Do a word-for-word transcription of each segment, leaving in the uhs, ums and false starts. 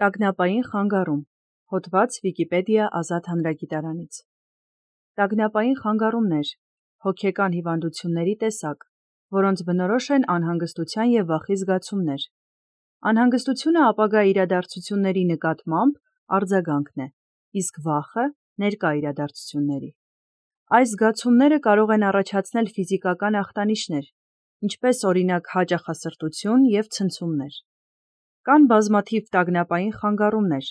Տագնապային խանգարում։ Հոդված Վիկիպեդիա ազատ հանրագիտարանից։ Տագնապային խանգարումներ հոգեկան հիվանդությունների տեսակ, որոնց բնորոշ են անհանգստության և վախի զգացումներ։ Անհանգստությունը ապագա իրադարձությունների նկատմամբ արձագանքն է, իսկ վախը ներկա իրադարձությունների։ Այս զգացումները կարող են առաջացնել ֆիզիկական ախտանիշներ, ինչպես օրինակ հաճախասրտություն և ցնցումներ։ Կան բազմաթիվ տագնապային խանգարումներ՝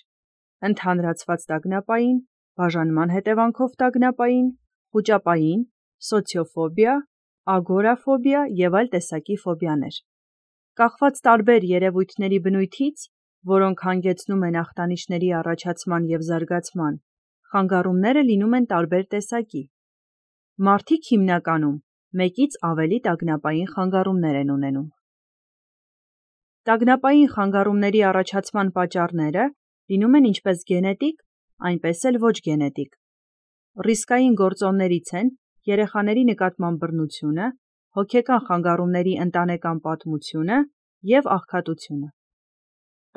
ընդհանրացված տագնապային, բաժանման հետևանքով տագնապային, խուճապային, սոցիոֆոբիա, ագորաֆոբիա և այլ տեսակի ֆոբիաներ։ Կախված տարբեր երևույթների բնույթից, որոնք հանգեցնում են ախտանիշների առաջացման և զարգացման, խանգարումները լինում են տարբեր տեսակի։ Մարդիկ հիմնականում մեկից ավելի տագնապային խանգարումներ են ունենում։ Տագնապային խանգարումների առաջացման պատճառները լինում են ինչպես գենետիկ, այնպես էլ ոչ գենետիկ։ Ռիսկային գործոններից են երեխաների նկատմամբ բռնությունը, հոգեկան խանգարումների ընտանեկան պատմությունը և աղքատությունը։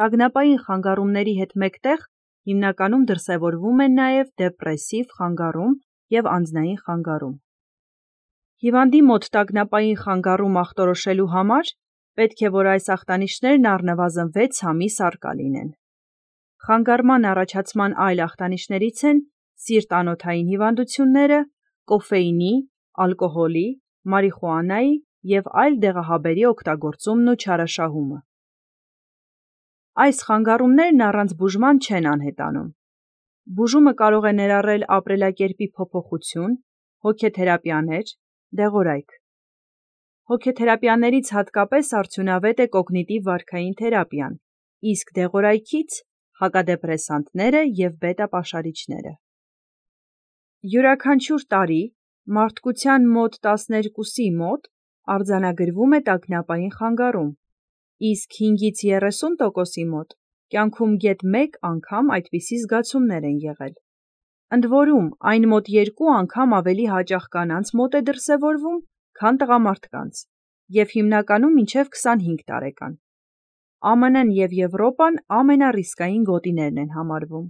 Տագնապային խանգարումների հետ մեկտեղ հիմնականում դրսևորվում են նաև դեպրեսիվ խանգարում և անձնային խանգարում։ Հիվանդի մոտ տագնապային խանգարում ախտորոշելու համար պետք է, որ այս ախտանիշներն առնվազն վեց ամիս առկա լինեն։ Խանգարման առաջացման այլ ախտանիշներից են սիրտ-անոթային հիվանդությունները, կոֆեինի, ալկոհոլի, մարիխուանայի և այլ դեղահաբերի օգտագործումն ու չարաշահումը։ Այս խանգարումներն առանց բուժման չեն անհետանում։ Բուժումը կարող է ներառել ապրելակերպի փոփոխություն, հոգեթերապիաներ, դեղորայք։ Հոգեթերապիաներից հատկապես արդյունավետ է կոգնիտիվ վարքային թերապիան, իսկ դեղորայքից՝ հակադեպրեսանտները և բետա պաշարիչները։ Յուրաքանչյուր տարի մարդկության մոտ տասներկուսի մոտ արձանագրվում է տագնապային խանգարում, իսկ հինգից երեսուն տոկոսի մոտ կյանքում գեթ մեկ անգամ այդպիսի զգացումներ են եղել։ Ընդ որում, այն մոտ երկու անգամ ավելի հաճախ կանանց մոտ է դրսևորվում, քան տղամարդկանց, և հիմնականում մինչև քսանհինգ տարեկան։ ԱՄՆ-ն և Եվրոպան ամենառիսկային գոտիներն են համարվում։